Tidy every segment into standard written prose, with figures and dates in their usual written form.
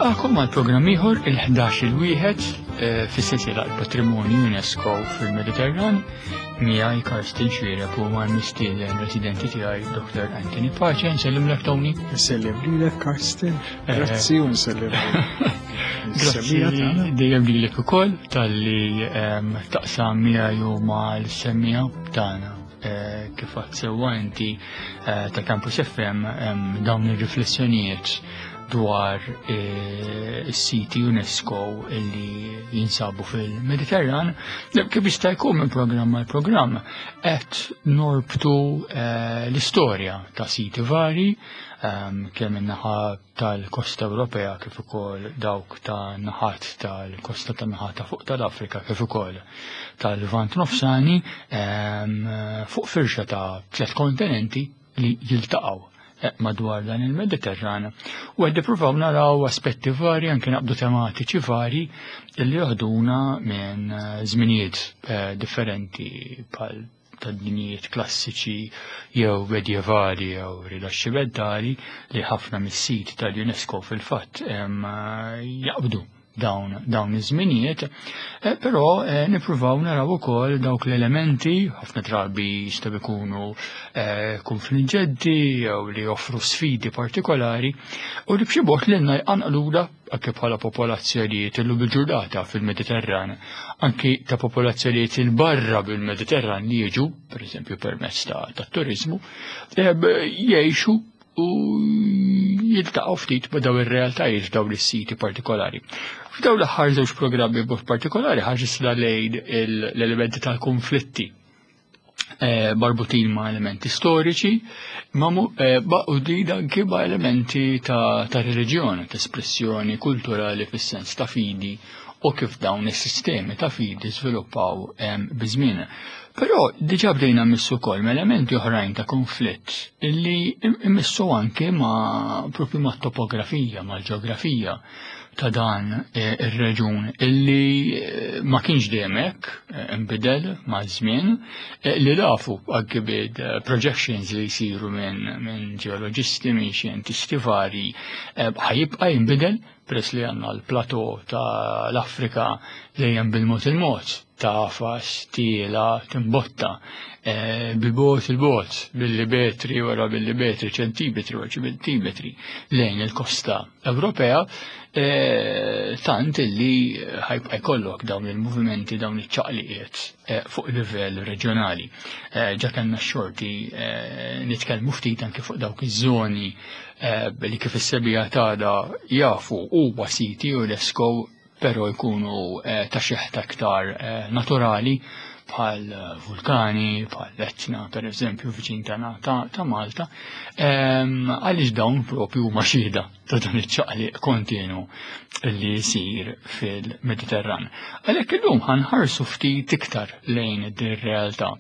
Nilqakom għal programm ieħor il-11 il-wieħed eh, fis-sensiela l-Patrimonju UNESCO fil-Mediterran miegħi Karsten Xwirek u mal-mistieden residenti tiegħi Dr. Anthony Pace. Nsellimlek Tony. Nsellem lilek Karsten. Eh, Grazzi u nsellem. Grazzi dejjem lilek ukoll talli ehm, taqsam miegħi u mal-semmija tagħna eh, kif għad sewwa inti eh, ta' Campus FM ehm, dawn ir-riflessjonijiet dwar eh, is-siti UNESCO illi jinsabu fil-Mediterran, kif jista' jkun minn programm għal programm qed norbtu eh, l-istorja ta' siti vari ehm, kemm in-naħa tal-kosta Ewropea kif ukoll dawk ta' naħat tal-kosta ta' naħat ta' fuq tal-Afrika kif ukoll tal-Lvant Nofsani ehm, fuq firxa ta' tliet kontinenti li jiltaqgħu eh, madwar dan il-Mediterran u għed nippruvaw naraw aspetti vari anke naqbdu tematiċi vari li joħduna minn eh, żminijiet eh, differenti bħal ta' dinijiet klassiċi jew medjevali jew rilaxximentali li ħafna mis-sit tal-UNESCO fil-fatt jaqbdu dawn dawn iż-żminijiet, eh, però eh, nippruvaw naraw ukoll dawk l-elementi ħafna drabi jistgħu jkunu eh, konfliġġenti jew li joffru sfidi partikolari u li b'xi mod lilna jqanqluna anke bħala popolazzjonijiet illum il-ġurnata fil-Mediterran, anki ta' popolazzjonijiet il-barra bil-Mediterran li jiġu, pereżempju permezz ta' turizmu, jgħixu u jiltaqgħu ftit ma' daw ir-realtajiet f'dawn is-siti partikolari. F'dawn l-aħħar żewġ programmi b'mod partikolari ħaġisna lejn l-elementi tal-konflitti eh, marbutin ma' elementi storiċi, ma' eh, maqudin anki ma' elementi ta', ta reliġjoni, ta' espressjoni kulturali fis-sens ta' fidi u kif dawn is-sistemi ta' fidi żviluppaw eh, biż-żmien. Però diġà bdejna mmissu wkoll ma' elementi oħrajn ta' konflitt illi immissu anke ma' propju ma' topografija, ma' ġeografija ta' dan eh, ir-reġun illi eh, ma kienx dejjem hekk eh, inbidel ma' żmien li lafu anke bid projections li jsiru minn min ġeoloġisti, minn xjentisti vari ħajibqa' jinbidel peress li għandna l-plateau ta' l-Afrika dejjem bil-mod il-mod tafas, tiela, timbotta, eh, bil-bot il-bot, billi wara billi ċentimetri wara ċentimetri lejn il-kosta Ewropea, eh, tant illi ħajbqa' jkollok dawn il-movimenti, dawn iċ-ċaqliqiet eh, fuq livell reġjonali. Ġa kellna x-xorti nitkellmu ftit anke fuq dawk iż-żoni li kif is-sebija tagħna jafu huwa siti UNESCO però jkunu eh, ta' xeħta aktar eh, naturali bħal eh, vulkani, bħal l-Etna, per eżempju, viċin tagħna ta' Malta, ehm, għaliex dawn propju huma xhieda ta' dan iċ-ċaqliq kontinu li jsir fil-Mediterran. Għalhekk illum ħanħarsu ftit iktar lejn din realtà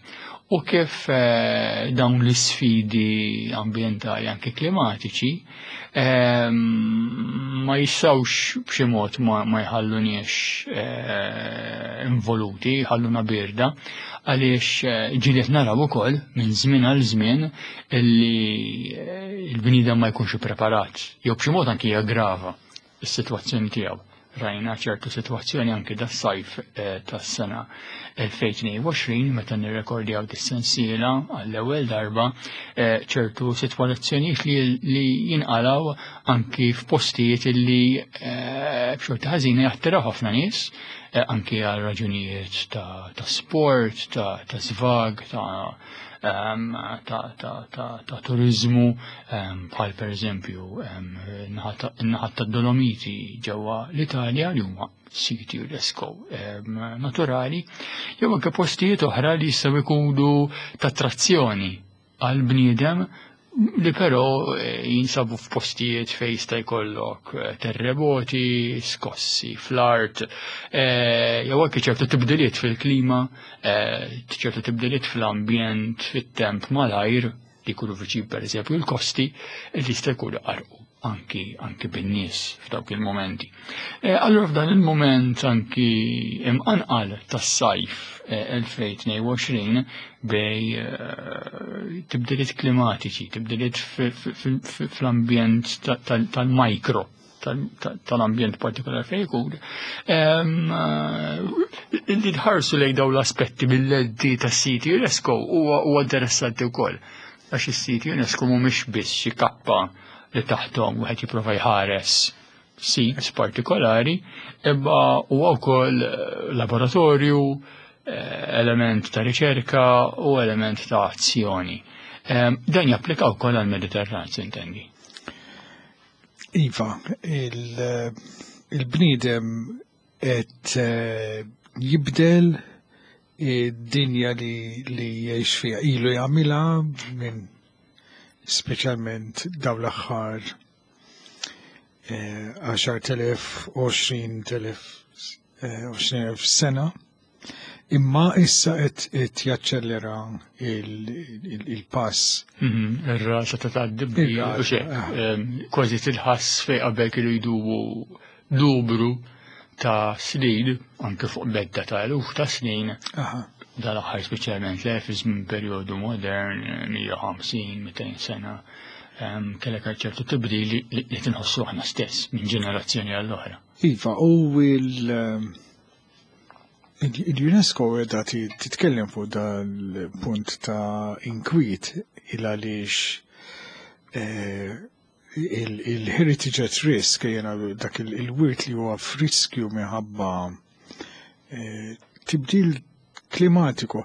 u kif dawn l-isfidi ambjentali anke klimatiċi Ehm, ma jistawx b'xi mod ma jħalluniex eh, involuti, jħalluna birda, għaliex eh, ġieliet naraw ukoll minn żmien għal żmien illi eh, l-bniedem ma jkunx ippreparat, jew b'xi mod anki jaggrava s-sitwazzjoni tiegħu. Rajna ċertu sitwazzjoni anki das-sajf eh, tas-sena 2022 meta nirrekordjaw dis-sensiela għall-ewwel darba eh, ċertu sitwazzjonijiet li jinqalaw anki f'postijiet li eh, b'xorta ħażina jattiraw ħafna nies anki għal raġunijiet ta' sport, ta' svag, ta' ehm, ta' turizmu ehm, bħal per eżempju ehm, in-naħat tad-Dolomiti ġewwa l-Italja li huma siti UNESCO naturali, jew anke postijiet oħra li jistgħu jkunu ta' attrazzjoni għal bniedem li però eh, jinsabu f'postijiet fejn jista' jkollok eh, terremoti, skossi fl-art, eh, jew anke ċertu tibdiliet fil-klima, ċertu tibdiliet fl-ambjent, fit-temp malajr, li jkunu viċin pereżempju l-kosti, li jista' jkunu qarqu anki anki bin-nies f'dawk il-momenti. E, allura f'dan il-moment anki imqanqal tas-sajf 2022 e, bej e, tibdiliet klimatiċi, tibdiliet fl-ambjent tal-mikro. tal-ambjent partikolari fejn ikun. Li tħarsu lejn dawn l-aspetti mill-lenti tas-siti UNESCO huwa interessanti wkoll. Għax is-siti UNESCO mhumiex biss xi kappa li taħthom wieħed jipprova jħares sits partikolari, imma huwa wkoll laboratorju, element ta' riċerka u element ta' azzjoni. Dan japplika wkoll għall-Mediterran, sintendi. Iva, il-bniedem qed jibdel id-dinja li jgħix fiha, ilu jagħmilha minn speċjalment dawn l-aħħar 10,000, 20,000, 20,000 sena. Imma issa qed jaċċellera il-pass. Ir-rata ta' tgħaddi kważi tilħass fejn qabel kienu jdubu numru ta' snin, anke fuq medda ta' eluf ta' snin. Dal-aħħar speċjalment le fi żmien perjodu modern, 150, 200 sena, kellek ċertu tibdil li tinħossu aħna stess minn ġenerazzjoni għall-oħra. Iva, u il-UNESCO qiegħda titkellem fuq dal-punt ta' inkwiet il għaliex il-heritage at risk, jena dak il-wirt li huwa f'riskju minħabba tibdil klimatiku.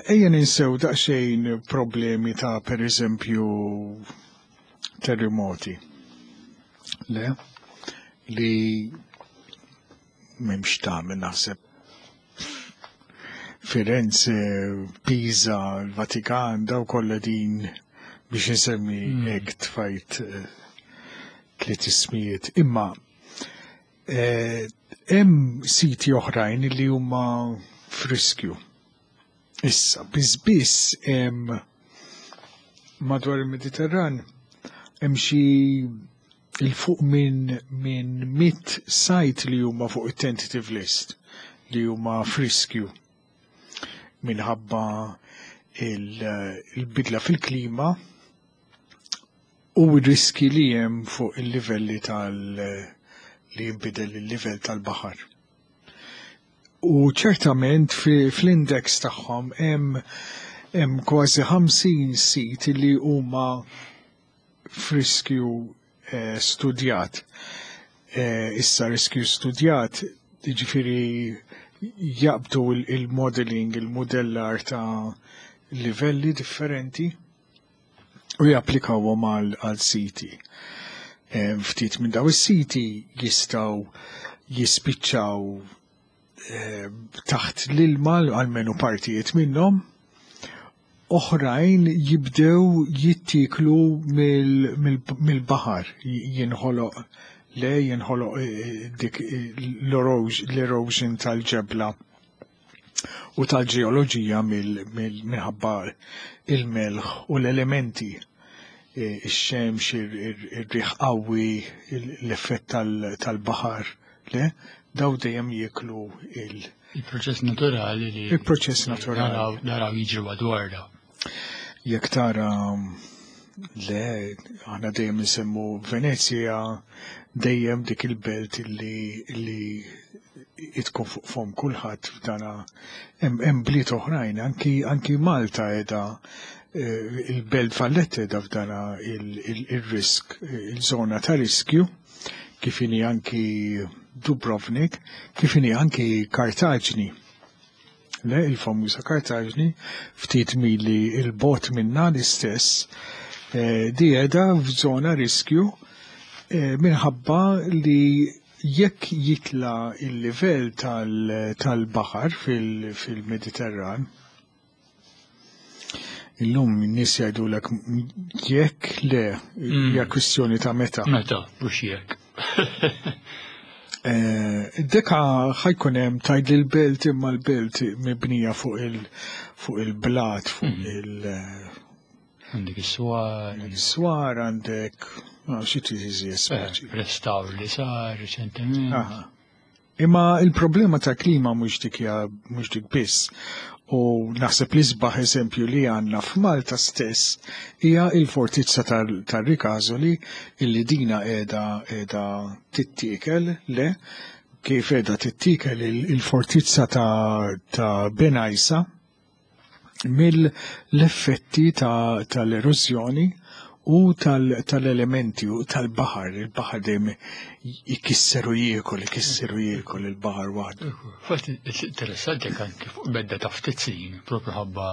Ejja ninsew daqsxejn problemi ta' per eżempju terremoti. Le? Li m'hemmx tagħmel naħseb Firenze, Pisa, il-Vatikan, daw kollha din biex insemmi hekk tfajt tliet ismijiet. Imma hemm siti oħrajn li huma f'riskju. Issa, biss biss hemm madwar il-Mediterran hemm xi il-fuq minn 100 site li huma fuq it-tentative list li huma f'riskju minħabba il-bidla fil-klima u r-riski li hemm fuq il-livelli tal- li jinbidel il-livell tal-baħar. U ċertament fl-index tagħhom hemm kważi 50 sit li huma f'riskju studjat. Issa riskju studjat, jiġifieri jaqbdu il-modeling, il-modellar ta' livelli differenti u japplikawhom għal siti. Ftit minn daw is-siti jistgħu jispiċċaw taħt l-ilma, għalmenu partijiet minnhom, oħrajn jibdew jittiklu mill-baħar, jinħoloq le jinħoloq dik l-erosion tal-ġebla u tal-ġeoloġija minħabba il-melħ u l-elementi, ix-xemx, ir-riħ qawwi, l-effett tal-baħar, le, daw dejjem jieklu il- Il-proċess naturali li Il-proċess naturali. naraw jiġri madwarna. Jekk tara le, aħna dejjem nsemmu Venezia, dejjem dik il-belt li tkun fuq fom kulħadd f'dana. Hemm bliet oħrajn, anki Malta qiegħda, il-belt Valletta qiegħda f'dana il-risk, il-żona ta' riskju, kif inhi anki Dubrovnik, kif inhi anki Kartaġni. Le, il-famuża Kartaġni, ftit mili il-bot minna l-istess, di qiegħda f'żona riskju minħabba li jekk jitla il-livell tal-baħar fil-Mediterran, illum n-nies jgħidulek jekk le, hija kwistjoni ta' meta. Meta, mhux jekk. Deka ħajkun hemm tgħid li l-belt imma l-belt mibnija fuq il-blat, fuq il- Għandek is-swar. Għandek is-swar, għandek, no, xi trid iżjed speċi. Restawr li sar reċentement. Imma il-problema ta' klima mhux dik hija, mhux dik biss. U naħseb li sbaħ eżempju li għandna f'Malta stess hija il-fortizza tar-Ricasoli illi dina qiegħda qiegħda tittiekel le kif qiegħda tittiekel il-fortizza ta' Benajsa mill-effetti tal-erożjoni u tal-elementi u tal-baħar. Il-baħar dejjem ikisser u jiekol, ikisser u jiekol il-baħar waħdu. Fatt interessanti anke fuq medda ta' ftit snin, propju ħabba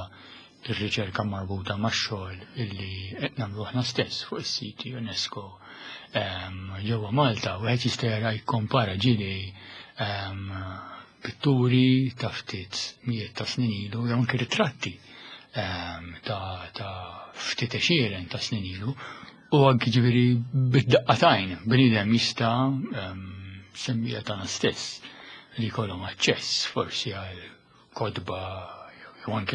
ir-riċerka marbuta max-xogħol illi qed nagħmlu aħna stess fuq is-siti UNESCO ġewwa Malta, wieħed jista' jara jikkompara ġieli pitturi ta' ftit mijiet ta' snin ilu jew anke ritratti ta' ftit għexieren ta' snin ilu u anki ġifieri bid-daqqa t'għajn bniedem jista' semmija tagħna stess li jkollhom aċċess forsi għal kotba jew anki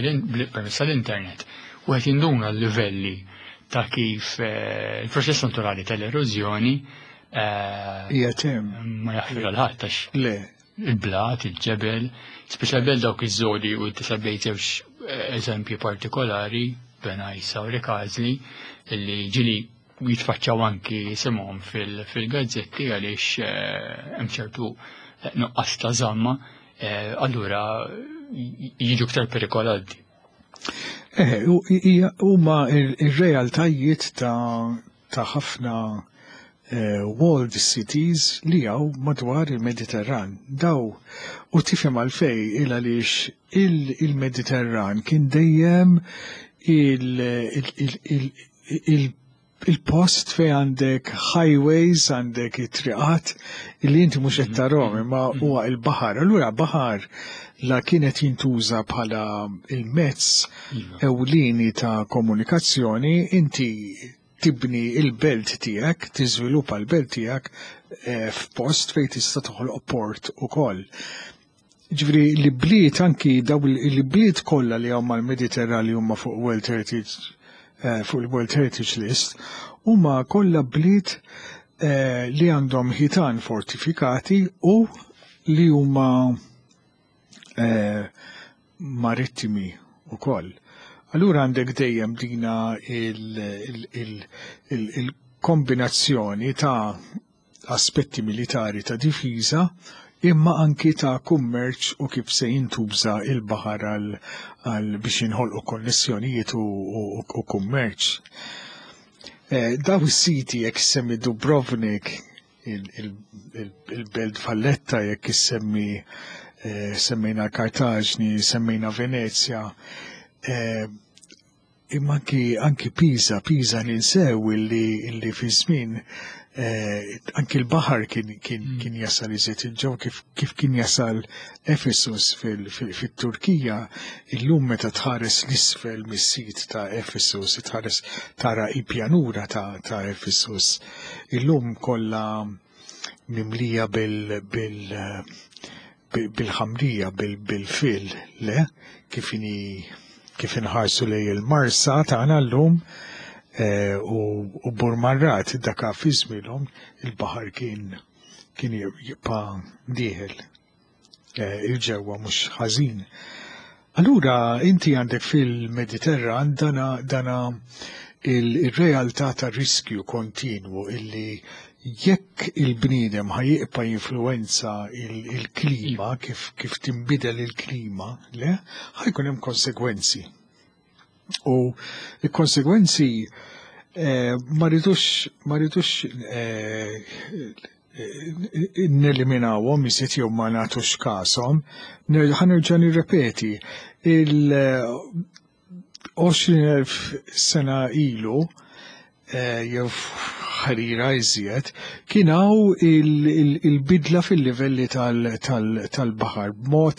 permezz tal-internet u qed jinduna l-livelli ta' kif il-proċess naturali tal-erożjoni qiegħed hemm. Ma jaħfir għal ħadd għax Le. il-blat, il-ġebel, speċjalment dawk iż-żoni u semmejt żewġ eżempji partikolari, Benajsa u Rikażli, illi ġili jitfaċċaw anki isimhom fil-gazzetti għaliex hemm ċertu nuqqas ta' żamma, allura jiġu iktar perikolanti. Huma ir-realtajiet ta' ħafna walled cities li hawn madwar il-Mediterran. Daw, u tifhem għalfej il għaliex il-Mediterran kien dejjem il-post fej għandek highways, għandek it-triqat illi inti mhux qed tarahom imma huwa il-baħar. Allura baħar la kienet jintuża bħala il-mezz ewlieni ta' komunikazzjoni, inti tibni il-belt tiegħek, tiżviluppa l-belt tiegħek f'post fejn tista' toħloq port ukoll. Ġifieri li bliet anki daw li bliet kollha li huma mal-Mediterran li huma fuq World Heritage fuq il-World Heritage List huma kollha bliet li għandhom ħitan fortifikati u li huma marittimi ukoll. Allura għandek dejjem dina il-kombinazzjoni ta' aspetti militari ta' difiża imma anki ta' kummerċ u kif se jintuża il-baħar għal biex jinħolqu konnessjonijiet u kummerċ. Daw is-siti jekk semmi Dubrovnik, il-Belt Valletta, jekk issemmi semmejna Kartaġni, semmejna Venezja, imma anki Pisa, Pisa ninsew illi fi żmien anki l-baħar kien jasal iżjed il-ġew kif kien jasal Efesus fit-Turkija, illum meta tħares l-isfel mis-sit ta' Efesus, tħares tara il-pjanura ta' Efesus, illum kollha mimlija bil-ħamrija, bil-fil, le, kif inħarsu lej il-Marsa tagħna llum u Burmarrad daka fi żmienhom il-baħar kien jibqa' dieħel il-ġewwa mhux ħażin. Allura inti għandek fil-Mediterran dana il-realtà ta' riskju kontinwu illi jekk il-bniedem ħajibqa' jinfluwenza il-klima, kif tinbidel il-klima, le, ħajkun hemm konsegwenzi. U il-konsegwenzi ma rridux neliminawhom iżjed jew ma nagħtux kashom. Ħa nerġa' nirrepeti, il-20,000 sena ilu jew ħarira iżjed, kien hawn il-bidla fil-livelli tal-baħar b'mod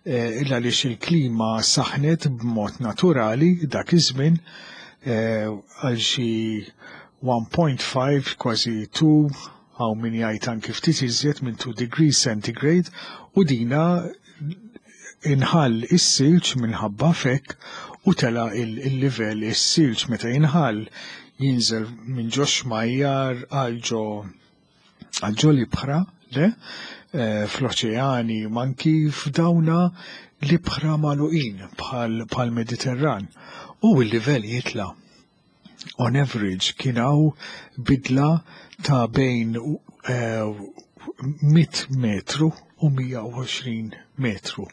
il għaliex il-klima saħnet b'mod naturali dak iż-żmien għal xi 1.5 kważi 2 hawn min jgħid anki ftit iżjed minn 2 degrees centigrade, u dina inħall is-silġ minħabba fekk u tela il-livell is-silġ meta jinħall jinżel minn ġo xmajjar għal ġo l-ibħra, le, fl-oċeani, manki f'dawna l-ibħra magħluqin bħal Mediterran u l-livell jitla. On average kien hawn bidla ta' bejn 100 metru u 120 metru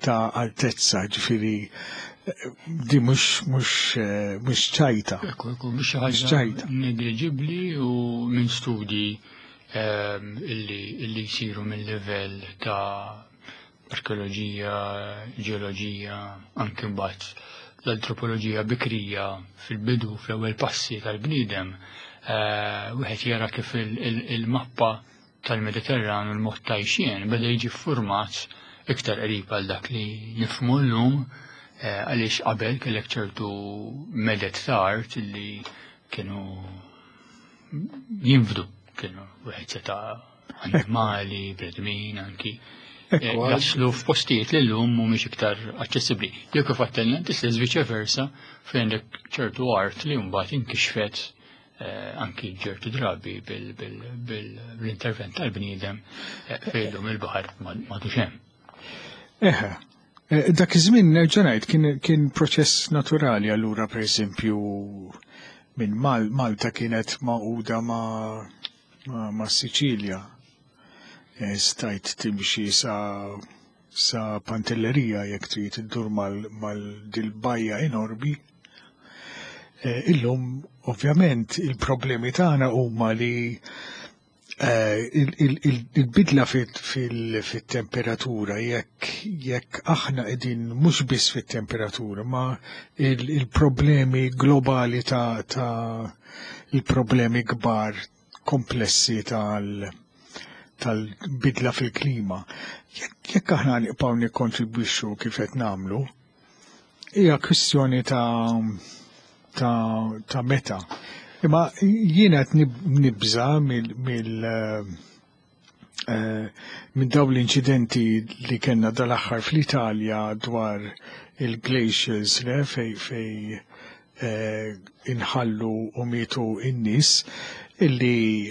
ta' altezza, ġifieri di mhux ċajta. Ekku, mhux xi ħaġa negliġibbli u minn studji illi jsiru mill-livell ta' arkeoloġija, ġeoloġija, anke mbagħad l-antropoloġija bikrija fil-bidu, fl-ewwel passi tal-bniedem, wieħed jara kif il-mappa tal-Mediterran u l-mod tajxien beda jiġi ffurmat iktar qrib għal dak li nifhmu llum, għaliex qabel kellek ċertu medet ta' art li kienu jinfdu, kienu wieħed seta' annimali, bnedmin anki. Jaslu f'postijiet li llum mhumiex iktar aċċessibbli. Jew kif għattelna inti stess viċe versa fejn għandek ċertu art li mbagħad inkixfet anki ċertu drabi bil-intervent tal-bniedem fejn illum il-baħar m'għadux hemm. Eħe, dak iż-żmien nerġa' ngħid kien proċess naturali. Allura pereżempju minn Malta kienet magħquda ma' Siċilja. Stajt timxi sa Pantellerija jekk trid iddur mal-dil-bajja enormi. Illum ovvjament il-problemi tagħna huma li il-bidla fit-temperatura, jekk aħna qegħdin mhux biss fit-temperatura, ma il-problemi globali ta' il-problemi kbar komplessi tal-bidla fil-klima. Jekk aħna nibqgħu nikkontribwixxu kif qed nagħmlu, hija kwistjoni ta' meta. Imma jiena qed nibża minn dawn l-inċidenti li kellna dal-aħħar fl-Italja dwar il-glaciers, le, fej inħallu u mietu in-nies, illi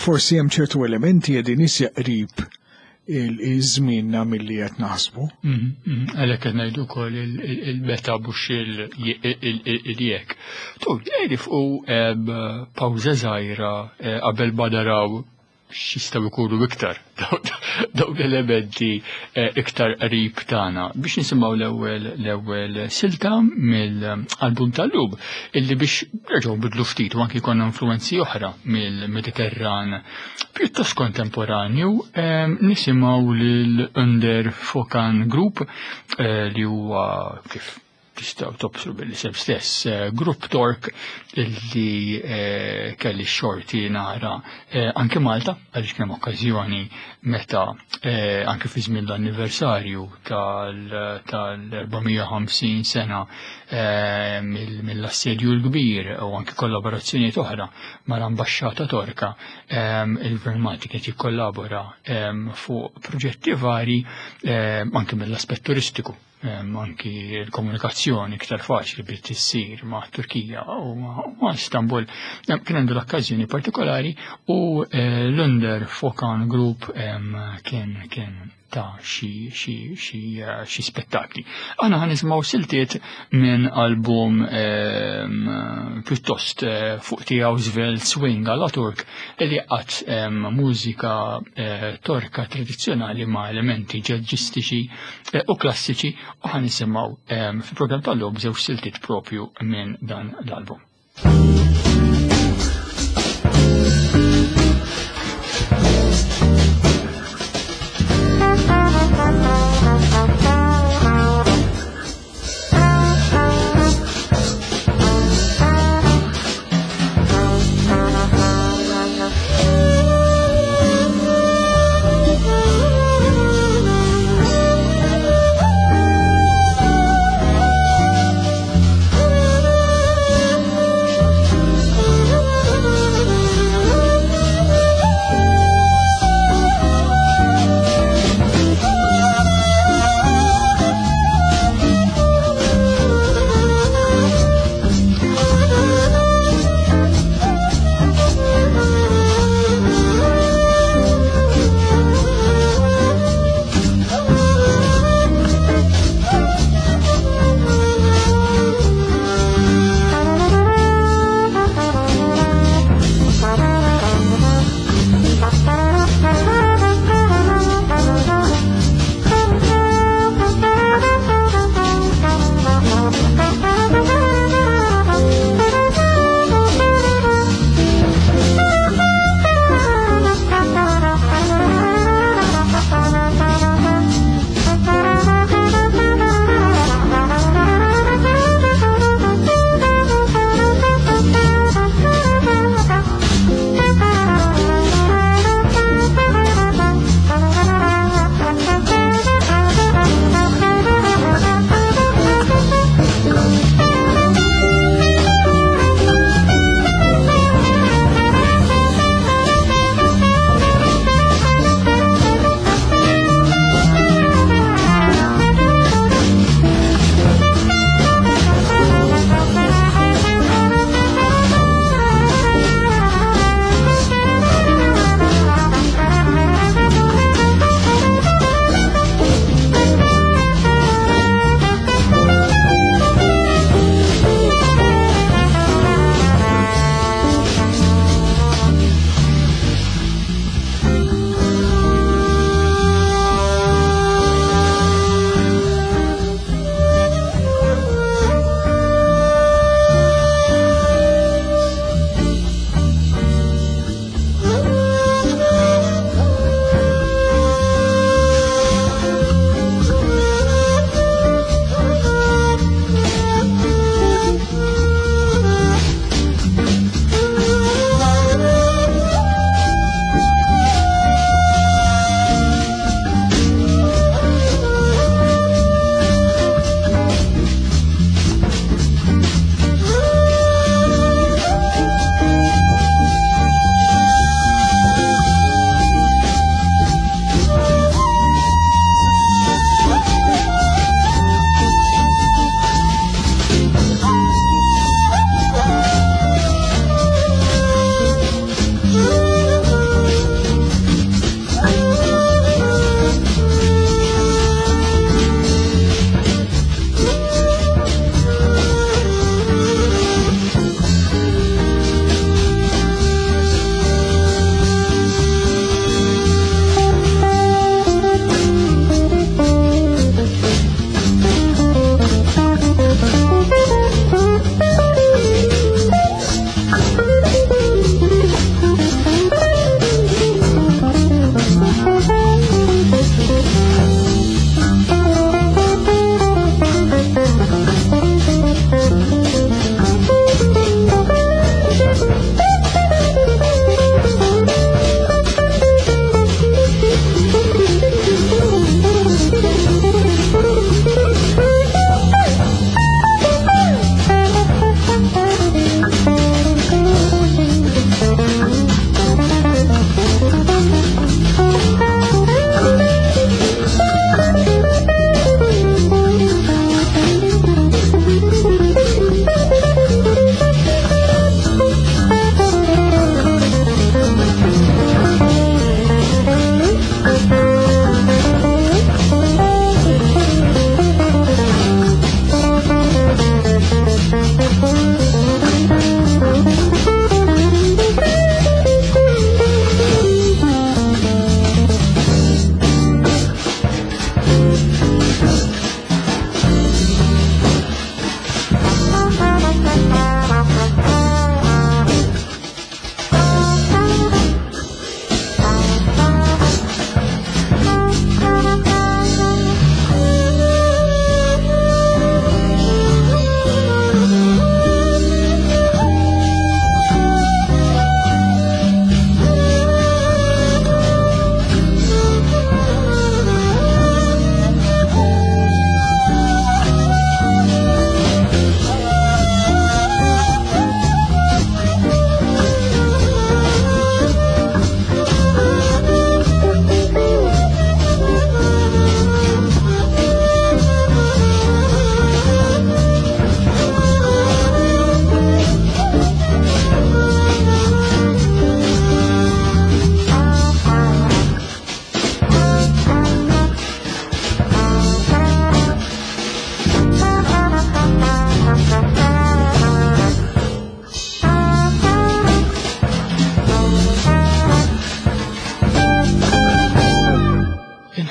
forsi hemm ċertu elementi qegħdin isja qrib il-żmienna milli qed naħsbu. Għalhekk qed ngħidu wkoll il-meta mhux il-jekk. Tu, jgħidi fuq pawża żgħira qabel ma naraw x'jistgħu jkunu iktar dawn l-elementi iktar qrib tagħna biex nisimgħu l-ewwel silta mill-album tal-lum illi biex nerġgħu nbidlu ftit u anki jkollna influenzi oħra mill-Mediterran pjuttost kontemporanju, nisimgħu lil Under Fokan Group li huwa kif tistgħu tobsru bil-isem stess, Grupp Tork illi kelli xorti nara anke Malta, għaliex kien hemm okkażjoni meta anke fi żmien l-anniversarju tal-450 sena mill-assedju l-kbir u anke kollaborazzjonijiet oħra mal-Ambaxxata Torka, il-Gvern Malti kien jikkollabora fuq proġetti vari anke mill-aspett turistiku. Anki l-komunikazzjoni iktar faċli biex tissir ma' Turkija u ma' Istanbul. Kien għandu l-okkażjoni partikolari u l-Under Fokan Group kien ta' xi spettakli. Aħna ħa nisimgħu siltiet minn album pjuttost fuq tiegħu żvelt swing għala Turk li qatt mużika torka tradizzjonali ma' elementi ġaġġistiċi u klassiċi, u ħa nisimgħu fil-programm tal-lum żewġ siltiet propju minn dan l-album. Thank you.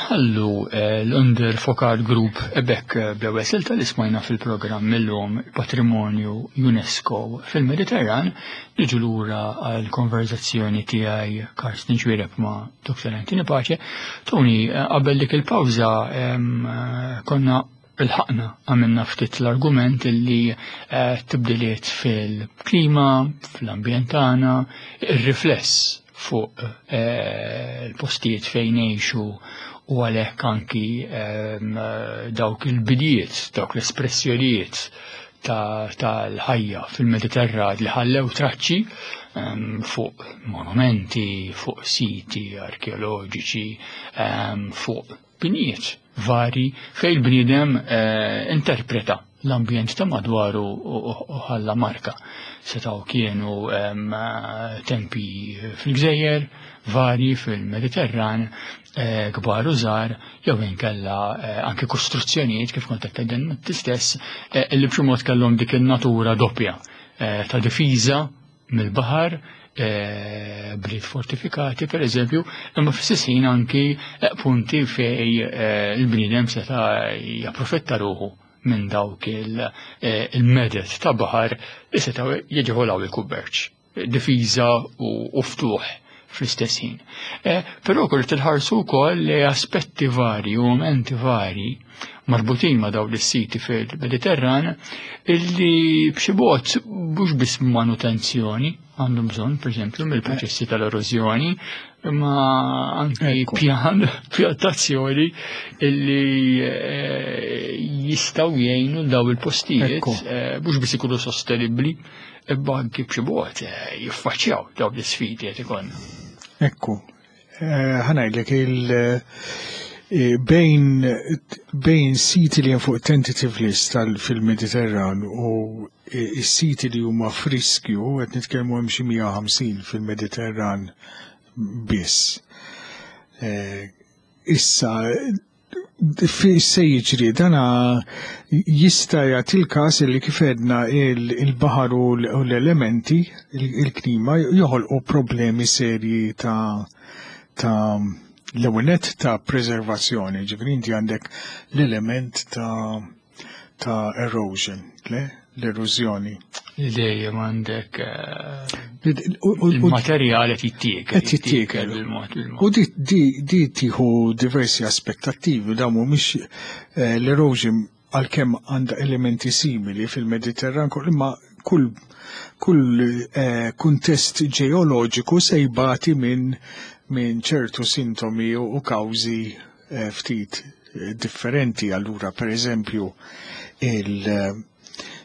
Nħallu l-Under Focal Group ebek bl-ewwel silta li smajna fil-programm illum Patrimonju UNESCO fil-Mediterran, niġu lura għal konverzazzjoni tiegħi Karsten Xuereb ma' Dr. Anthony Pace. Tony, qabel dik il-pawża konna il-ħakna għamilna ftit l-argument illi tibdiliet fil-klima, fl-ambjent tagħna, ir-rifless fuq il-postijiet fejn ngħixu u għalhekk anki dawk il-bidijiet, dawk l-espressjonijiet tal-ħajja fil-Mediterran li ħallew traċċi fuq monumenti, fuq siti arkeoloġiċi, fuq binijiet vari fejn il-bniedem interpreta l-ambjent ta' madwaru u ħalla marka. Setgħu kienu tempi fil-gżejjer, vari fil-Mediterran, kbar u żgħar, jew inkella anke kostruzzjonijiet kif kont qed tgħidilna inti stess, li b'xi mod kellhom dik in-natura doppja ta' difiża mill-baħar, bliet fortifikati per eżempju, imma fl-istess ħin anki punti fej il-bniedem seta' japprofitta ruħu minn dawk il-medet ta' baħar li setgħu jiġevolaw il-kummerċ, difiża u ftuħ fl-istess ħin. Però kull tilħarsu wkoll li aspetti vari u momenti vari marbutin ma' dawn is-siti fil-Mediterran illi b'xi mod mhux biss manutenzjoni għandhom bżonn, pereżempju, mill-proċessi tal-erożjoni, imma anki pjan, pjantazzjoni illi jistgħu jgħinu daw il-postijiet, mhux biss ikunu sostenibbli, imma anki b'xi mod jiffaċċjaw dawn l-isfidi qed ikollna. Ekku, ħa ngħidlek bejn siti li hemm fuq tentative list fil-Mediterran u is-siti li huma f'riskju, qed nitkellmu hemm xi 150 fil-Mediterran biss. Issa, se jiġri dana jista' jagħti l-każ li kif għedna il-baħar u l-elementi, il-klima joħolqu problemi serji ta' l-ewwel nett ta' preservazzjoni, ġifieri inti għandek l-element ta' erosion, le? L-erożjoni. Li dejjem għandek il-materjal qed jittiekel. Qed jittiekel. Bil-mod, bil-mod. U di tieħu diversi aspettattivi, dawn mhumiex l-erosion għalkemm għandha elementi simili fil-Mediterran, imma kull kuntest ġeoloġiku se jbati minn ċertu sintomi u kawżi ftit differenti. Allura, per eżempju,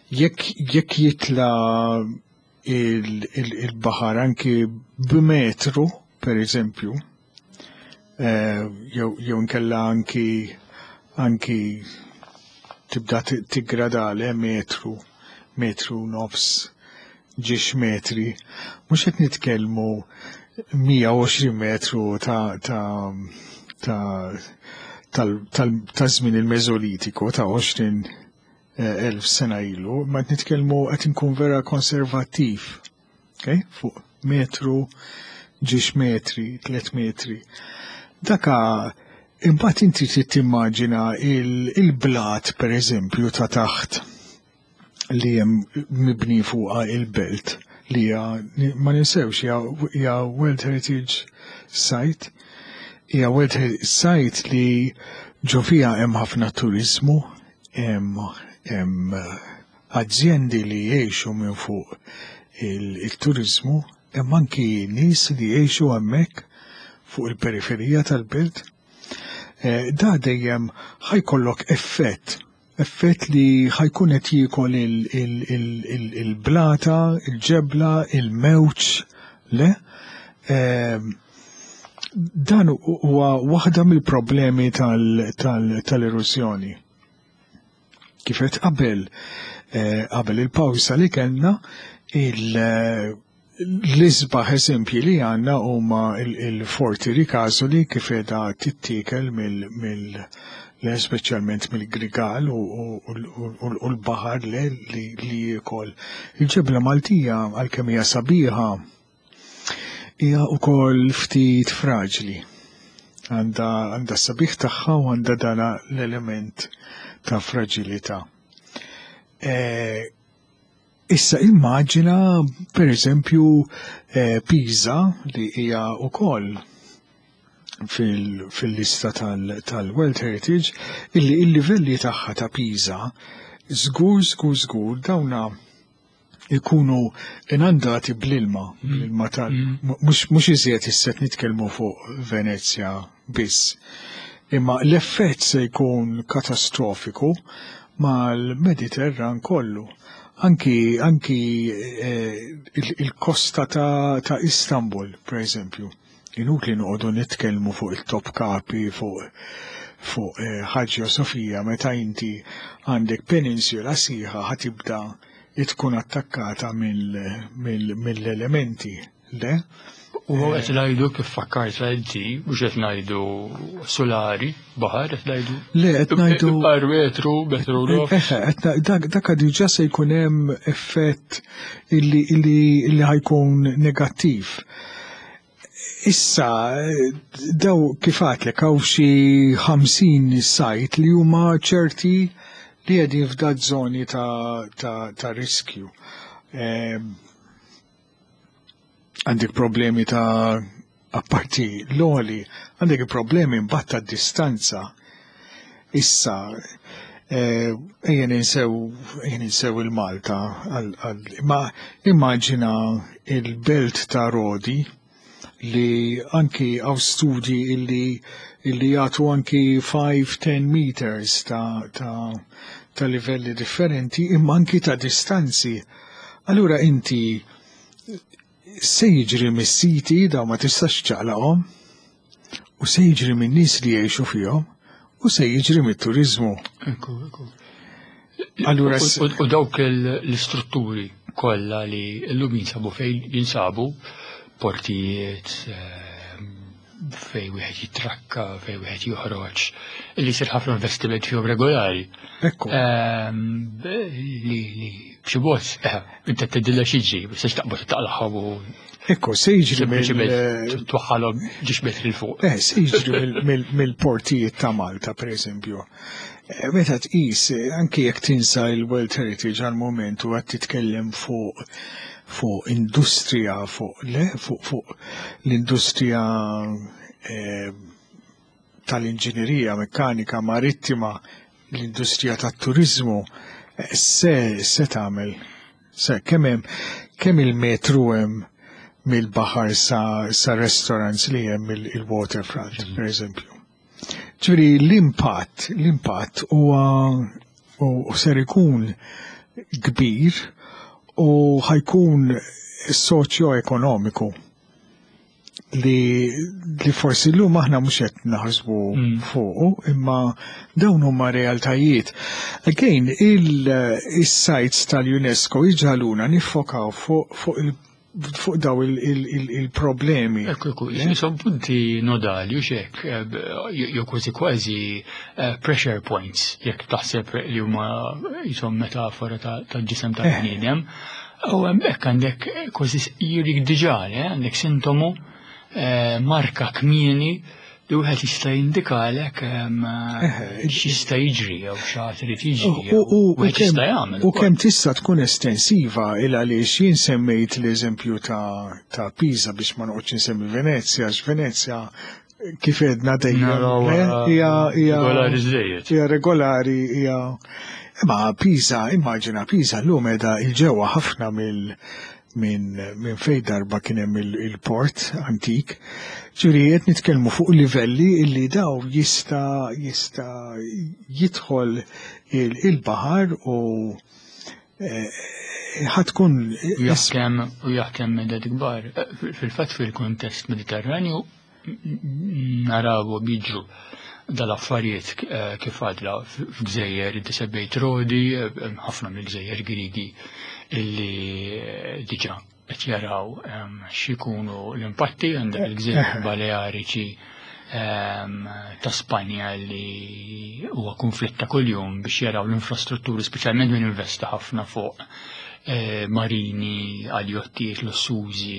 jekk jitla il-baħar anki b'metru, per eżempju, jew inkella anki tibda tiggradale metru, metru nofs, ġiex metri, mhux qed nitkellmu 120 metru ta' żmien il-Meżolitiku ta' 20 elf sena ilu, ma qed nitkellmu qed inkun vera konservattiv, okay? Fuq metru, ġiex metri, 3 metri. Daka imbagħad inti trid timmaġina il-blat, per eżempju, ta' taħt li hemm mibni fuqha il-belt li hija, ma ninsewx, hija World Heritage Site, hija World Heritage Site li ġo fiha hemm ħafna turizmu, hemm azjendi li jgħixu minn fuq il-turizmu, hemm anki nies li jgħixu hemmhekk fuq il-periferija tal-belt. Da dejjem ħajkollok effett li ħajkun qed jiekol il-blata, il-ġebla, il-mewġ, le? Dan huwa waħda mill-problemi tal-eruzzjoni. Kif qed qabel il-pawsa li kellna, l-isbaħ eżempji li għandna huma il-Forti Ricasoli kif qiegħda tittiekel speċjalment mill-Grigal u l-baħar li jiekol. Il-ġebla Maltija għalkemm hija sabiħa hija wkoll ftit fraġli. Għandha sabiħ tagħha u għandha dana l-element ta' fragilità. Issa immaġina, per eżempju, Pisa li hija wkoll fil-lista tal-World Heritage, illi il-livelli tagħha ta' Pisa żgur, żgur, żgur dawna ikunu inundati bl-ilma, bl-ilma tal mhux iżjed issa qed nitkellmu fuq Venezja biss. Imma l-effett se jkun katastrofiku mal-Mediterran kollu. Anki il-kosta ta' Istanbul, per eżempju. Inutli noqogħdu nitkellmu fuq il-Topkapi, fuq Hagia Sofia, meta inti għandek peninsula sħiħa ħa tibda tkun attakkata mill-elementi. Le? U qed ngħidu kif fakkart inti, mhux qed ngħidu solari, baħar, qed ngħidu. Le, qed ngħidu Par metru, metru nofs. Eħe, qed dak diġà se jkun hemm effett illi ħa jkun negattiv. Issa, daw kif għedtlek hawn xi 50 site li huma ċerti li qegħdin f'dat żoni ta' riskju. Għandek problemi ta' apparti l-għoli, għandek problemi mbagħad ta' distanza. Issa, ejja ninsew il-Malta, ma immaġina il-belt ta' Rodi li anki għaw studji illi jagħtu anki 5-10 meters ta' livelli differenti, imma anki ta' distanzi. Allura inti se jiġri mis-siti daw ma tistax ċaqlaqhom, u se jiġri minn nies li jgħixu fihom, u se jiġri mit-turizmu. Ekku, ekku. Allura U dawk l-istrutturi kollha li llum jinsabu fejn jinsabu, portijiet, fej wieħed jitrakka, fej wieħed joħroġ, li jsir ħafna investiment fihom regolari. Li b'xi mod, inti tgħidilha xi ġri, biex taqbad taqlaħħom u Ekku, se jiġri sempliċiment mill- twaħħalhom ġiex metri 'l fuq. Se jiġri mill-portijiet ta' Malta, per eżempju. Meta tqis, anki jekk tinsa il-World Heritage għal-moment u qed titkellem fuq industrija, fuq le, fuq l-industrija tal-inġinerija mekkanika marittima, l-industrija tat-turizmu, se tagħmel, se kemm hemm, kemm il-metru hemm mill-baħar sa restaurants li hemm il-waterfront, per eżempju. Ġifieri l-impatt huwa u ser ikun kbir u ħa jkun soċjo-ekonomiku li forsi llum aħna mhux qed naħsbu fuqu, imma dawn huma realtajiet. Again, il-sites tal-UNESCO jġagħluna niffokaw fuq daw il-problemi. Ekku, ekku, jisom punti nodali u xek, jew kważi kważi pressure points, jekk taħseb li huma jisom metafora ta' ġisem ta' bniedem. U hemmhekk għandek kważi jirik diġà, għandek sintomu marka kmieni li wieħed jista' jindikalek x'jista' jiġri jew x'għad irid jiġri jew wieħed jista' jagħmel U ukoll. kemm tista' tkun estensiva il għaliex jien semmejt l-eżempju ta' Pisa biex ma noqgħodx insemmi Venezja, għax Venezja kif għedna dejjem, Naraw, hija regolari żejjed. Hija regolari, hija imma Pisa, immaġina Pisa llum qiegħda il-ġewwa ħafna minn fejn darba kien hemm il-port antik. Ġifieri qed nitkellmu fuq livelli illi daw jista' jidħol il-baħar u ħatkun U jaħkem meded kbar. Fil-fatt fil-kuntest Mediterranju naraw biġru dal-affarijiet kif għadla f'gżejjer inti semmejt Rodi, ħafna mill-gżejjer Grigi illi diġà qed jaraw x'ikunu l-impatti għandek il-gżejjer Baleariċi ta' Spanja li huwa konflitt ta' kuljum biex jaraw l-infrastrutturi, speċjalment min investa ħafna fuq Marini għal jottijiet lussużi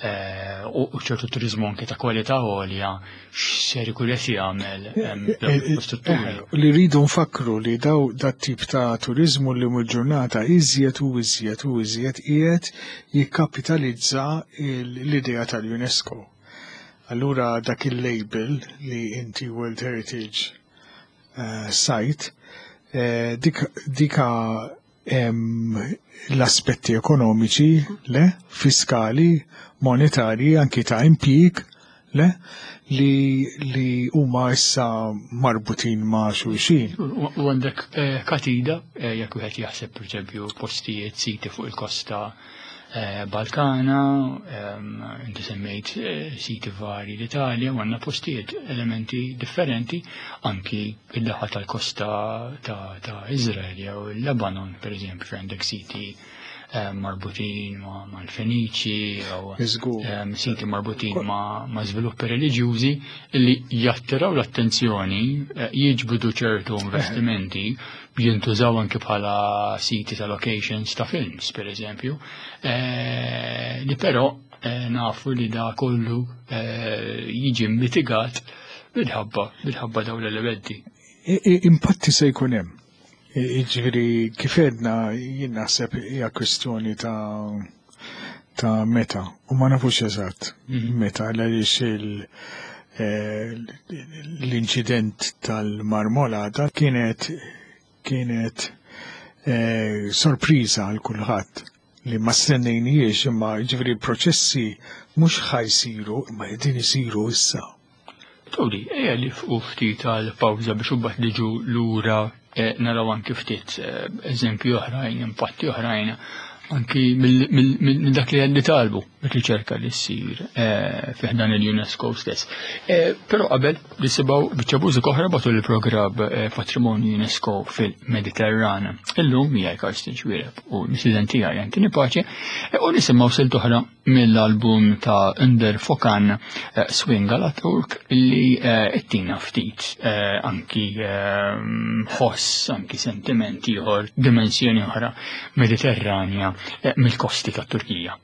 u ċertu turizmu anke ta' kwalità għolja x'ser ikun qed jagħmel infrastrutturi. Li rridu nfakru li daw dat tip ta' turizmu li mul-ġurnata iżjed u iżjed u iżjed qiegħed jikkapitalizza l-idea tal-UNESCO. Allura dak il-label li inti World Heritage Site dika l-aspetti ekonomiċi, le, fiskali, monetarji, anki ta' impjieg, le, li huma issa marbutin ma' xulxin. U għandek katida, jekk wieħed jaħseb pereżempju postijiet siti fuq il-kosta Balkana, inti semmejt siti vari l-Italja, u għandna postijiet elementi differenti anki id-daħal tal-kosta ta' Izrael jew il-Lebanon, per eżempju, fejn għandek siti marbutin mal-Feniċi jew siti marbutin ma' żviluppi reliġjużi li jattiraw l-attenzjoni, jiġbdu ċertu investimenti, jintużaw anki bħala siti ta' locations ta' films, per eżempju, li però nafu li da kollu jiġi mitigat minħabba dawn l-elementi. Impatti se jkun hemm. Jiġifieri kif għedna jien naħseb hija kwistjoni ta' meta u ma nafux eżatt meta għaliex l-inċident tal-Marmolada kienet sorpriża għal kulħadd li ma stennejniex, imma jiġifieri l-proċessi mhux ħajsiru imma qegħdin isiru issa. Tony, ejja li fuq ftit għal pawża biex imbagħad niġu lura naraw anki ftit eżempji oħrajn, impatti oħrajn anki minn dak li għedni talbu, riċerka li ssir fi ħdan il-UNESCO stess. Però qabel nisimgħu biċċa mużika oħra matul il-programm Patrimonju UNESCO fil-Mediterran. Illum miegħi Karsten Xuereb u l-mistieden tiegħi Anthony Pace u nisimgħu silt oħra mill-album ta' Önder Fokan Swing alla Turk li ittina ftit anki ħoss, anki sentimenti ieħor, dimensjoni oħra Mediterranja mill-kosti tat-Turkija.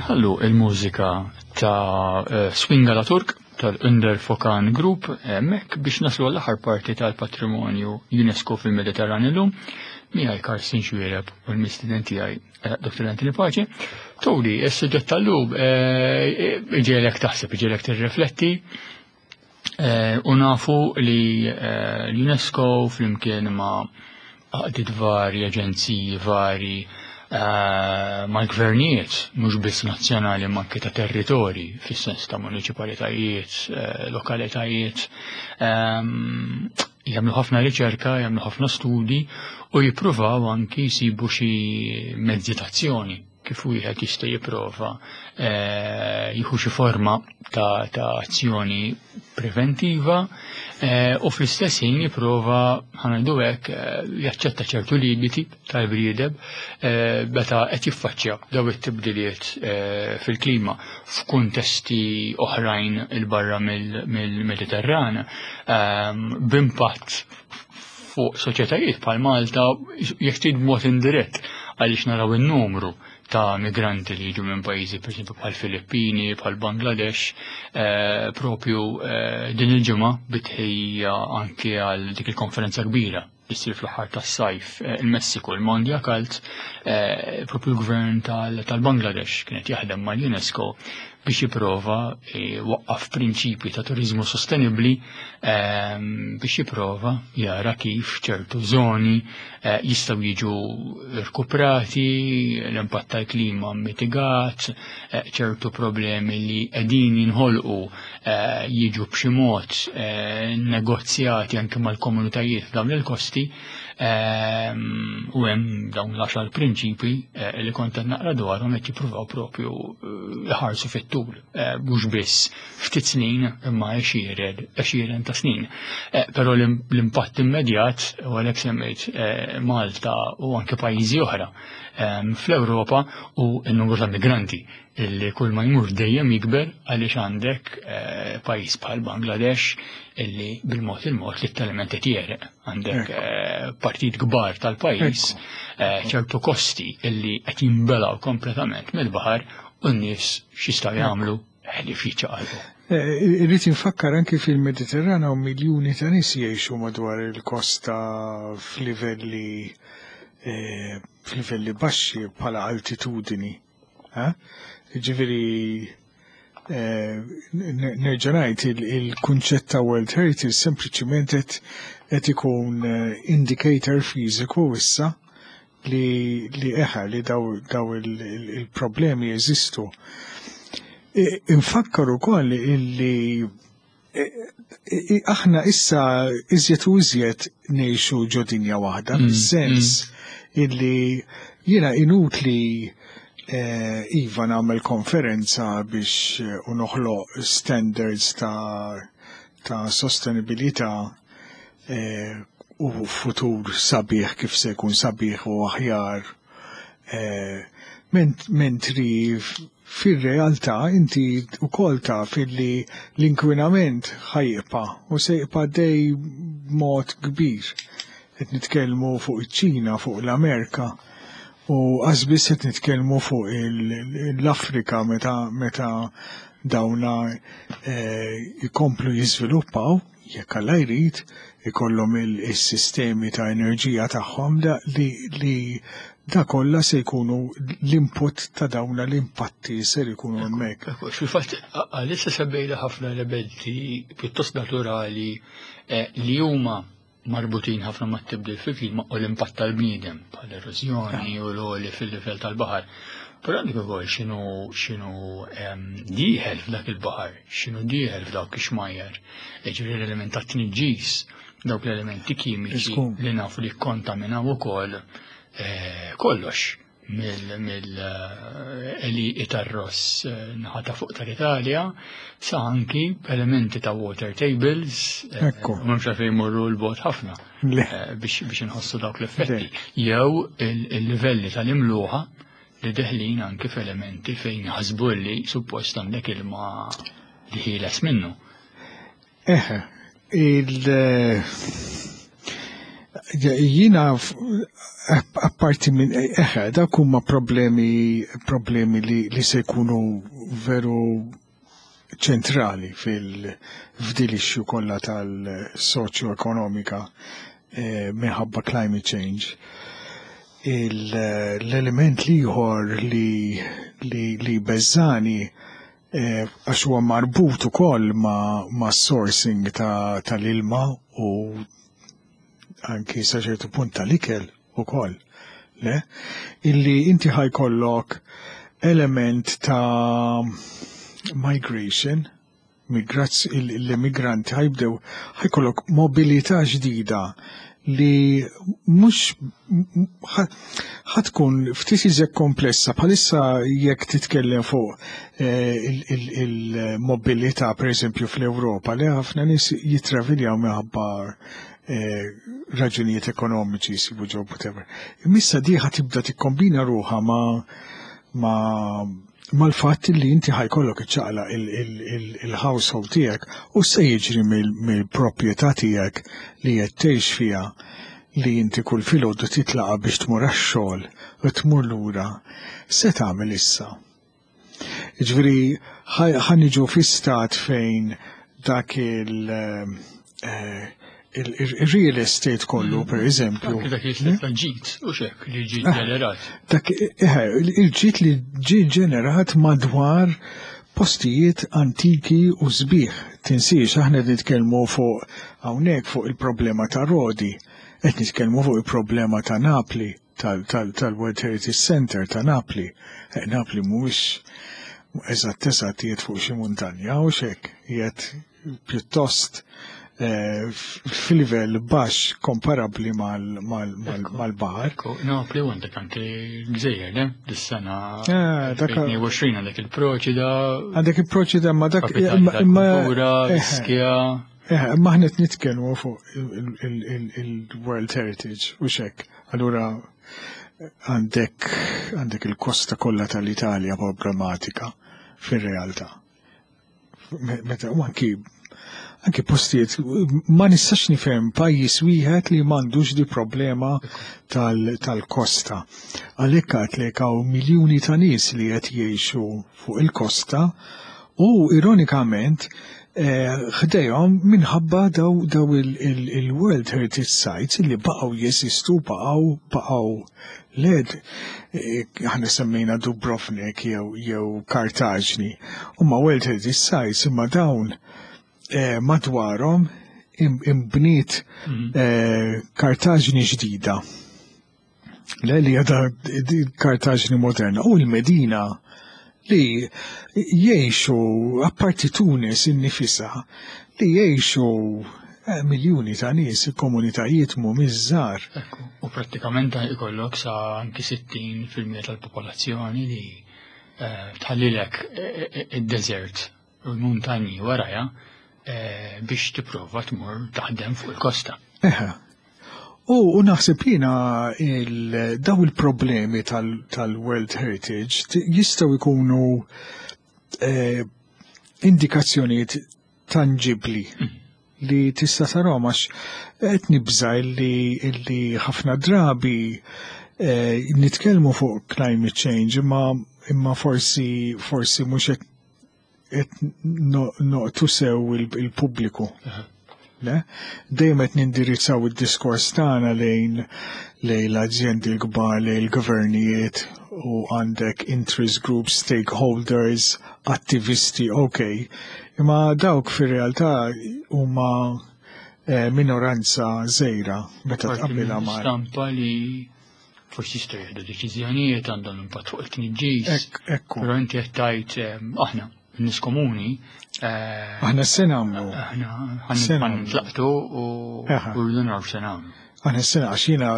Nħallu il-mużika ta' eh, Swinga la Turk tal-Under Fokan Group hemmhekk biex naslu għall-aħħar parti tal-patrimonju UNESCO fil-Mediterran illum miegħi Karsten Xwiereb u l-mistieden tiegħi eh, Dr. Anthony Pace. Tony, is-suġġett tal-lum eh, iġielek taħseb, iġielek tirrifletti u nafu li l-UNESCO flimkien ma' għaqdiet vari, aġenziji vari, eh, mal-gvernijiet, mhux biss nazzjonali ma anke ta' territori, fis-sens ta' municipalitajiet, eh, lokalitajiet, ehm, jagħmlu ħafna riċerka, jagħmlu ħafna studi u jippruvaw anki jsibu xi mezzi tazzjoni kif wieħed jista' jipprova eh, jieħu xi forma ta', ta azzjoni preventiva eh, u fl-istess ħin jipprova ħanajdu hekk eh, jaċċetta ċertu limiti tal-briedem meta qed jiffaċċja daw it-tibdiliet fil-klima f'kuntesti oħrajn il barra mill-Mediterran b'impatt fuq soċjetajiet bħal Malta jekk trid b'mod indirett għaliex naraw in-numru ta' migranti li jiġu minn pajjiżi pereżempju bħal Filippini, bħal Bangladesh, eh, propju eh, din il-ġimgħa bitħejja anke għal dik il-konferenza kbira li ssir fl-aħħar tas-sajf eh, il-Messiku, il-Mondia Kalt, propju l-gvern tal-Bangladesh kienet jaħdem mal-UNESCO biex jipprova waqqaf prinċipji ta' turizmu sostenibbli ehm, biex jipprova jara kif ċertu zoni eh, jistgħu jiġu rkuprati, l-impatt tal-klima mitigat, eh, ċertu problemi li qegħdin jinħolqu eh, jiġu b'xi mod negozjati anke mal-komunitajiet f'dawn il-kosti ehm, u hemm dawn l-għaxar prinċipi li kont qed naqra dwarhom qed jippruvaw propju jħarsu fit-tul, eh, mhux biss ftit snin imma għexieren ta' snin. Eh, però l-impatt immedjat, u għalhekk semmejt eh, Malta u anke pajjiżi oħra ehm, fl-Ewropa u n-numru ta' migranti illi kull ma jmur dejjem jikber għaliex għandek pajjiż bħal Bangladesh illi bil-mod il-mod li t-element qed jereq. Għandek partit kbar tal-pajjiż ċertu kosti illi qed jinbelgħu kompletament mill-baħar u n-nies x'jistgħu jagħmlu ħlief jiċċaqalqu. Eh, irrid infakkar anki fil-Mediterran hawn miljuni ta' nies jgħixu madwar il-kosta f'livelli eh, f'livelli baxxi bħala altitudini. Ġifieri eh, nerġa' ngħid il-kunċett ta' World Heritage sempliċiment qed ikun indicator fiżiku issa li li eħa li daw, daw il-problemi il jeżistu. Infakkar ukoll illi aħna issa iżjed u iżjed ngħixu ġo dinja waħda, mm, fis-sens mm. illi jiena inutli eh, iva nagħmel konferenza biex eh, u noħloq standards ta' ta' sostenibilità eh, u futur sabiħ kif se jkun sabiħ u aħjar. Eh, mentri fir-realtà inti wkoll taf illi l-inkwinament ħajqpa u se jibqa' dej b'mod kbir. Qed nitkellmu fuq iċ-Ċina, fuq l-Amerika u qasbis qed nitkellmu fuq l-Afrika meta meta dawna eh, jkomplu jiżviluppaw jekk Alla jrid, ikollhom is-sistemi ta' enerġija tagħhom li, li da kollha se jkunu l-input ta' dawna l-impatti ser ikunu hemmhekk. Fil-fatt għalissa semmejna ħafna elementi pjuttost naturali eh, li huma marbutin ħafna mat-tibdil fil-klima u l-impatt tal-bniedem bħal erożjoni u l-għoli fil-livell tal-baħar. Però għandek ukoll x'inhu x'inhu ehm, dieħel f'dak il-baħar, x'inhu dieħel f'dawk ix-xmajjar. Jiġifieri l-element ta' tniġġis, dawk l-elementi kimiċi li nafu li kkontaminaw ukoll eh, kollox mill-għelieqi tar-ross eh, naħa ta' fuq tal-Italja sa anki elementi ta' water tables eh, Ekku. M'hemmx għalfejn jmorru l-bot ħafna eh, biex inħossu dawk l-effetti. Jew il-livelli tal-imluħa li deħlin anki f'elementi fejn ħasbu li suppost għandek ilma li ħieles minnu. Eħe, il- Jiena apparti minn eħe, dak huma problemi li se jkunu veru ċentrali fil-fdil issue kollha tal-soċjo-ekonomika minħabba climate change. L-element l-ieħor li beżani, għax huwa marbut ukoll ma' sourcing tal-ilma u anki sa ċertu punt tal-ikel ukoll, le? Illi inti ħa jkollok element ta' migration, l-immigranti ħa jibdew, ħa jkollok mobilità ġdida li mhux ħa tkun ftit iżjed komplessa. Bħalissa jekk titkellem fuq il-mobilità, per eżempju, fl-Ewropa, li ħafna nies jitraviljaw minħabba raġunijiet ekonomiċi, jsibu job, whatever. Imma di ħa tibda tikkombina ruħha mal-fatt li inti ħa jkollok iċċaqlaq il-household tiegħek u se jiġri mill-proprjetà tiegħek li qed tgħix fiha, li inti kull filgħodu titlaqa biex tmur għax-xogħol u tmur lura, se tagħmel issa? Ġifieri ħa niġu fi stat fejn dak il-real estate kollu, per eżempju. Dak il-ġid, u xek, li ġid ġenerat. Dak il-ġid li ġi ġenerat madwar postijiet antiki u sbieħ. Tinsiex, aħna nitkellmu fuq hawnhekk fuq il-problema ta' Rodi, qed nitkellmu fuq il-problema ta' Napli, tal-World Heritage Center ta' Napli. Napli mhuwiex eżatt eżatt qiegħed fuq xi muntanja u xek, qiegħed pjuttost fil-livell baxx komparabbli mal-baħar. Ekku, Napli u għandek anke gżejjer, ne? Dis-sena 22 għandek il-Proċida. Għandek il-Proċida, ma dak Kapitali tal-kultura, Ischia. Ma aħna qed nitkellmu fuq il-World Heritage u xek. Allura għandek il-kosta kollha tal-Italja problematika fir-realtà. Meta u anki postijiet, ma nistax nifhem pajjiż wieħed li m'għandux di problema tal-kosta. Għalhekk għadlek hawn miljuni ta' nies li qed jgħixu fuq il-kosta u ironikament ħdejhom minħabba daw il-World Heritage Sites li baqgħu jeżistu, baqgħu led. Aħna semmejna Dubrovnik jew Kartaġni, huma World Heritage Sites, imma dawn madwarhom imbniet Kartaġni ġdida. Le li għadha Kartaġni moderna u l-Medina li jgħixu, apparti Tunis innifisha, li jgħixu miljuni ta' nies, il-komunitajiet mhumiex żgħar. Ekku, u prattikament ikollok sa anki 60% tal-popolazzjoni li tħallilek id-desert u l-muntanji waraja biex tipprova tmur taħdem fuq il-kosta. Eħe. U naħseb jiena daw il-problemi tal-World Heritage jistgħu jkunu indikazzjonijiet tangibli li tista' tarahom, għax qed nibża illi ħafna drabi nitkellmu fuq climate change imma forsi mhux qed noqtu sew il-pubbliku. Le? Dejjem qed nindirizzaw id-diskors tagħna lejn l-azjendi l-kbar, lejn il-gvernijiet, u għandek interest groups, stakeholders, attivisti, ok. Imma dawk fir-realtà huma minoranza żgħira meta Parti tqabbilha minn ma' stampa li forsi jistgħu jieħdu deċiżjonijiet għandhom impatt fuq it-tniġġis. Ekku. Però inti qed tgħid aħna nies komuni, Aħna se nagħmlu. Aħna Se ħan nagħmlu. nitlaqtu u rridu naraw se nagħmlu. Aħna se għax jiena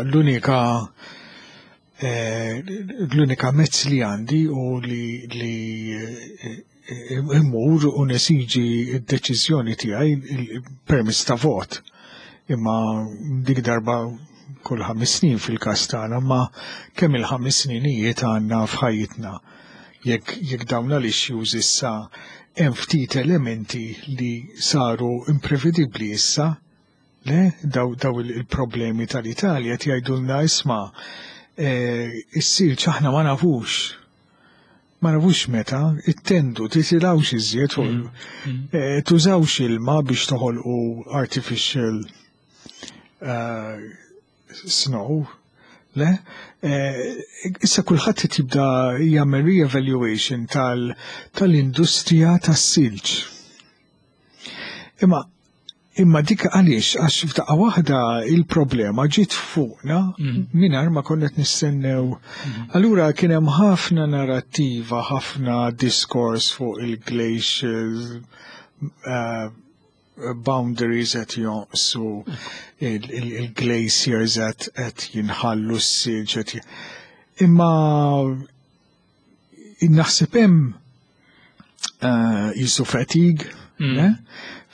l-unika mezz li għandi u li immur u nesiġi d-deċiżjoni tiegħi permezz ta' vot. Imma dik darba kull 5 snin fil-każ tagħna, ma kemm il-5 sninijiet għandna f'ħajjitna. Jekk dawn l-issues issa hemm ftit elementi li saru imprevedibbli issa, Le, daw, daw il-problemi tal-Italja qed jgħidulna isma' eh, is-silġ aħna ma nafux. Ma nafux meta, ittendu, titilgħux iżjed fuq eh, tużawx ilma biex toħolqu artificial snow. Le? Issa kulħadd qed jibda jagħmel re-evaluation tal-industrija tas-silġ. Imma imma dik għaliex għax f'daqqa waħda il-problema ġiet fuqna mingħajr ma konna qed nistennew. Allura kien hemm ħafna narrattiva, ħafna diskors fuq il-glacial boundaries qed jonqsu, il-glaciers qed jinħallu s-silġ qed Imma naħseb hemm jisu fatigue, le?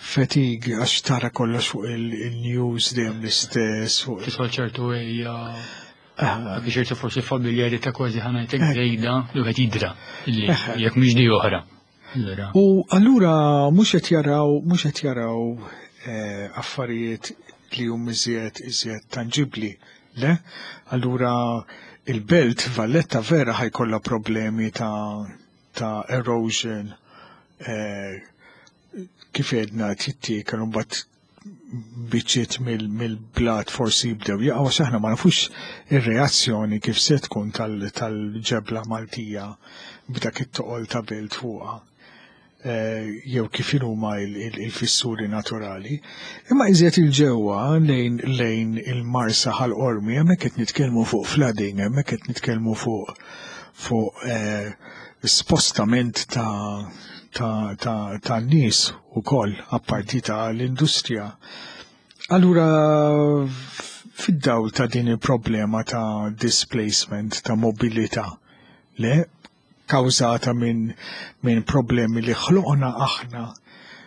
Fatigue għax tara kollox fuq il-news dejjem l-istess fuq Tidħol ċertu ejja anke ċertu forsi familjarità kważi ħa ngħidlek żejda li wieħed jidra li jekk mhix di oħra. Allura. U allura mhux qed jaraw mhux qed jaraw affarijiet li hum iżjed iżjed tanġibbli, le? Allura il-belt Valletta vera ħa jkollha problemi ta' erosion kif għedna tittiekel u mbagħad biċċiet mill-blat forsi jibdew jaqgħu għax aħna ma nafux ir-reazzjoni kif se tkun tal-ġebla Maltija b'dak it-toqol ta' belt fuqha. Jew kif huma il-fissuri naturali. Imma iżjed il-ġewwa lejn lejn il-Marsa Ħal Qormi hemmhekk qed nitkellmu fuq flooding, hemmhekk qed nitkellmu fuq spostament ta' nies ukoll apparti ta' l-industrija. Allura fid-dawl ta' din il-problema ta' displacement, ta' mobilità, le kawżata minn problemi li ħloqna aħna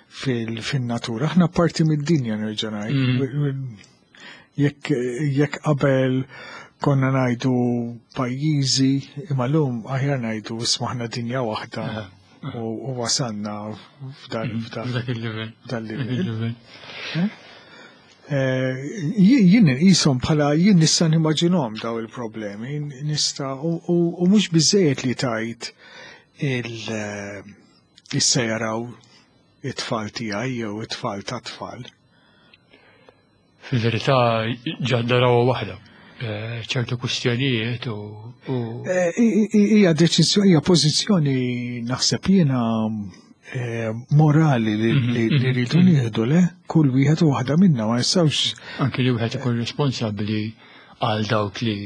fil-natura. Aħna parti mid-dinja nerġa' ngħid. Jekk qabel konna ngħidu pajjiżi, imma llum aħjar ngħidu isma' aħna dinja waħda u wasalna f'dan f'dan F'dak il-level. dan livell. Jien nqishom bħala jien nista' nimmaġinhom daw il-problemi, nista' u mhux biżejjed li tajt il issa jaraw it-tfal tiegħi jew it-tfal ta' tfal. Fil-verità ġadda rawa waħda. Ċertu kwistjonijiet u Hija deċiżjoni, hija pożizzjoni naħseb jiena morali li rridu nieħdu le kull wieħed u waħda minna ma nistgħux anke li wieħed ikun responsabbli għal dawk li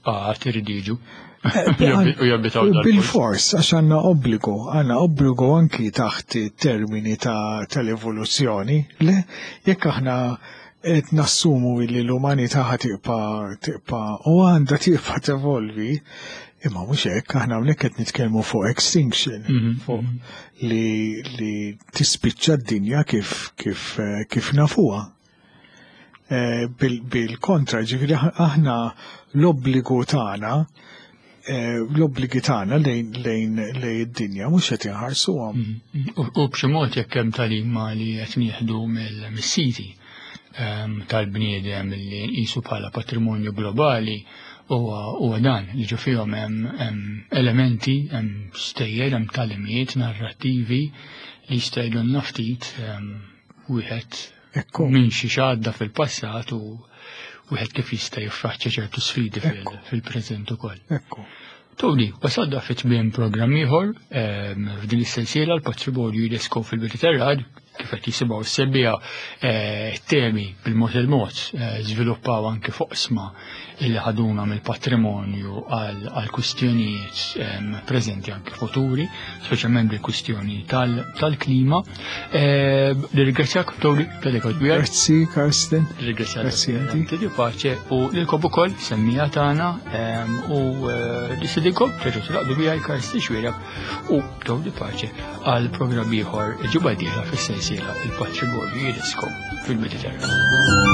għad iridu jiġu. U jabitaw dal-post. Bil-fors, għax għandna obbligu, għandna obbligu anki taħt termini tal-evoluzzjoni, le jekk aħna qed nassumu li l-umanità ħa tibqa' tibqa' u għandha tibqa' tevolvi, imma mhux hekk, aħna hawnhekk qed nitkellmu fuq extinction, fuq li tispiċċa d-dinja kif nafuha. Bil-kontra, ġifieri aħna l-obbligu tagħna, l-obbligi tagħna lejn id-dinja mhux qed inħarsuhom. U b'xi mod jekk hemm tagħlima li qed nieħdu mis-siti tal-bniedem li nqisu bħala patrimonju globali huwa dan li ġo fihom hemm elementi, hemm stejjer, hemm tagħlimiet narrattivi li jista' jgħidulna ftit wieħed minn xi għadda fil-passat u wieħed kif jista' jiffaċċja ċertu sfidi fil-preżent ukoll. Tony, wasalna fi tmiem programm ieħor f'din is-sensiela l-patrimonju UNESCO fil-Mediterran, kif qed jisimgħu s-semmiegħa temi bil-mod il-mod żviluppaw anke foqsma illi ħaduna mill-patrimonju għal kwistjonijiet preżenti anke futuri, speċjalment bil-kwistjoni tal-klima. Nirringrazzjak Tony talli kont miegħi. Grazzi Karsten. Nirringrazzjak. Grazzi inti. Ti paċe u lilkom ukoll semmiegħa tagħna u nistedinkom terġgħu tilaqdu miegħi Karsten Xuereb u Tony Pace għal programm ieħor ġimgħa dieħla fis-sensiela il-patrimonju UNESCO fil-Mediterran.